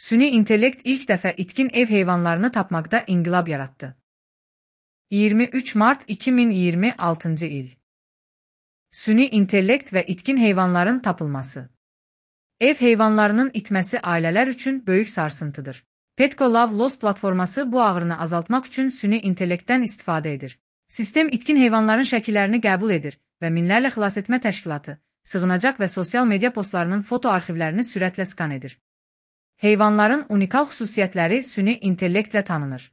Süni intellekt ilk dəfə itkin ev heyvanlarını tapmaqda inqilab yaratdı. 23 Mart 2026 il. Süni intellekt və itkin heyvanların tapılması. Ev heyvanlarının itməsi ailələr üçün böyük sarsıntıdır. Petco Love Lost platforması bu ağrını azaltmaq üçün süni intellektdən istifadə edir. Sistem itkin heyvanların şəkillərini qəbul edir və minlərlə xilasetmə təşkilatı, sığınacaq və sosial media postlarının foto arxivlərini sürətlə skan edir. Heyvanların unikal xüsusiyyətləri süni intellektlə tanınır.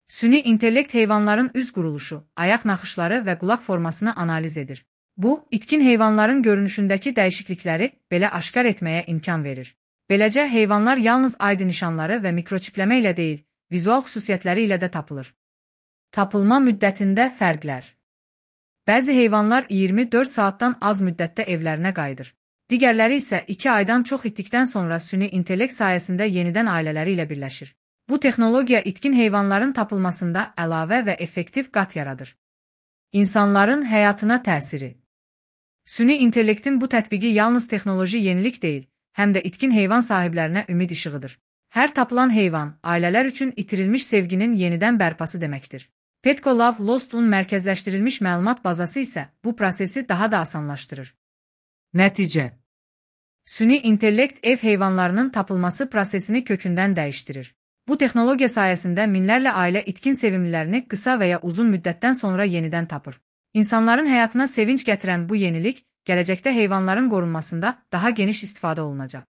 Süni intellekt heyvanların üz quruluşu, ayaq naxışları və qulaq formasını analiz edir. Bu, itkin heyvanların görünüşündəki dəyişiklikləri belə aşkar etməyə imkan verir. Beləcə, heyvanlar yalnız ID nişanları və mikroçipləmə ilə deyil, vizual xüsusiyyətləri ilə də tapılır. Tapılma müddətində fərqlər. Bəzi heyvanlar 24 saatdan az müddətdə evlərinə qayıdır. Digərləri isə 2 aydan çox itdikdən sonra süni intellekt sayəsində yenidən ailələri ilə birləşir. Bu texnologiya itkin heyvanların tapılmasında əlavə və effektiv qat yaradır. İnsanların həyatına təsiri. Süni intellektin bu tətbiqi yalnız texnoloji yenilik deyil, həm də itkin heyvan sahiblərinə ümid işığıdır. Hər tapılan heyvan, ailələr üçün itirilmiş sevginin yenidən bərpası deməkdir. Petco Love Lost'un mərkəzləşdirilmiş məlumat bazası isə bu prosesi daha da asanlaşdırır. Nəticə. Süni intellekt ev heyvanlarının tapılması prosesini kökündən dəyişdirir. Bu texnologiya sayəsində minlərlə ailə itkin sevimlilərini qısa və ya uzun müddətdən sonra yenidən tapır. İnsanların həyatına sevinç gətirən bu yenilik, gələcəkdə heyvanların qorunmasında daha geniş istifadə olunacaq.